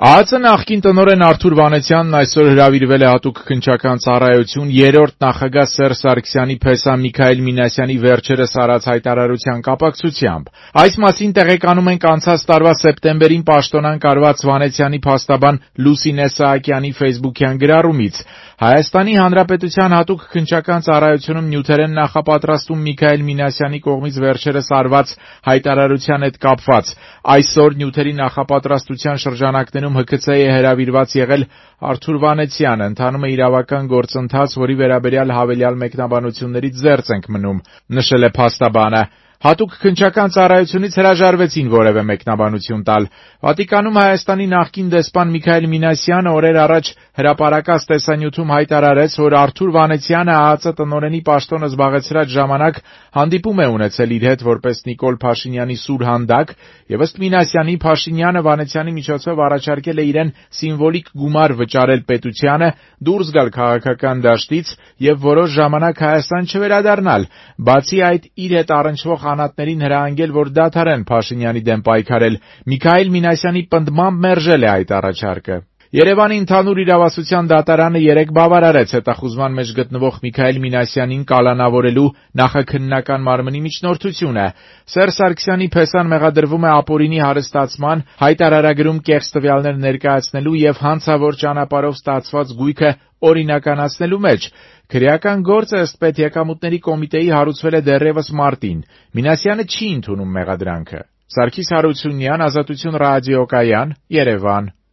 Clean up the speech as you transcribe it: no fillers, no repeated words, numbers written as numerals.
ԱԱԾ նախկին տնօրեն Արթուր Վանեցյանն այսօր հրավիրվել է հատուկ քննչական ծառայություն երրորդ նախագահ Սերժ Սարգսյանի փեսա Միքայել Մինասյանի վերջերս արած հայտարարության կապակցությամբ։ Այս մասին տեղեկանում ենք անցած տարվա սեպտեմբերին պաշտոնանկ արված Վանեցյանի փաստաբան Լուսինե Սահակյանի ֆեյսբուքյան գրառումից։ Հայաստանի Հանրապետության հատուկ քննչական ծառայությունում նյութերեն նախապատրաստում Միքայել Մինասյանի կողմից վերջերս արված հայտարարության հետ կապված։ Այսօր նյութերի նախապատրաստության շրջանակներում ՀՔՑ-ի է հրավիրված եղել Արթուր Վանեցյանը, ընթանում է իրավական գործընթաց, որի վերաբերյալ հավելյալ մեկնաբանություններից զերծ ենք մնում, նշել է փաստաբանը։ Հատուկ քննչական ծառայությունից հրաժարվեցին որևէ մեկնաբանություն տալ։ Վատիկանում Հայաստանի նախկին դեսպան Միքայել Մինասյանը օրեր առաջ հրապարակած տեսանյութում հայտարարեց, որ Արթուր Վանեցյանը ԱԱԾ տնօրենի պաշտոնը զբաղեցրած ժամանակ հանդիպում է ունեցել իր հետ որպես Նիկոլ Փաշինյանի սուր հանդակ, եւ ըստ Մինասյանի Փաշինյանը Վանեցյանի միջոցով առաջարկել է իրեն սիմվոլիկ գումար վճարել պետությանը, դուրս գալ քաղաքական դաշտից եւ որոշ ժամանակ Հայաստան չվերադառնալ։ Բացի այդ, իր հետ առնչվող անհատներին հրահանգել, որ դադարեն Փաշինյանի դեմ պայքարել։ Միքայել Մինասյանի պնդմամբ մերժել է այդ առաջարկը։ Երևանի ընդհանուր իրավասության դատարանը 3 բավարարեց հետախուզման մեջ գտնվող Միքայել Մինասյանին կալանավորելու նախաքննական մարմնի միջնորդությունը։ Սերժ Սարգսյանի փեսան մեղադրվում է ապօրինի հարստացման, հայտարարագրում կեղծ տվյալներ ներկայացնելու եւ հանցավոր ճանապարհով ստացված գույքը օրինականացնելու մեջ։ Քրեական գործը ըստ Պետեկամուտների կոմիտեի հարուցվել է դեռևս մարտին։ Մինասյանը չի ընդունում մեղադրանքը։ Սարգիս Հարությունյան, Ազատություն ռադիոկայան, Երևան։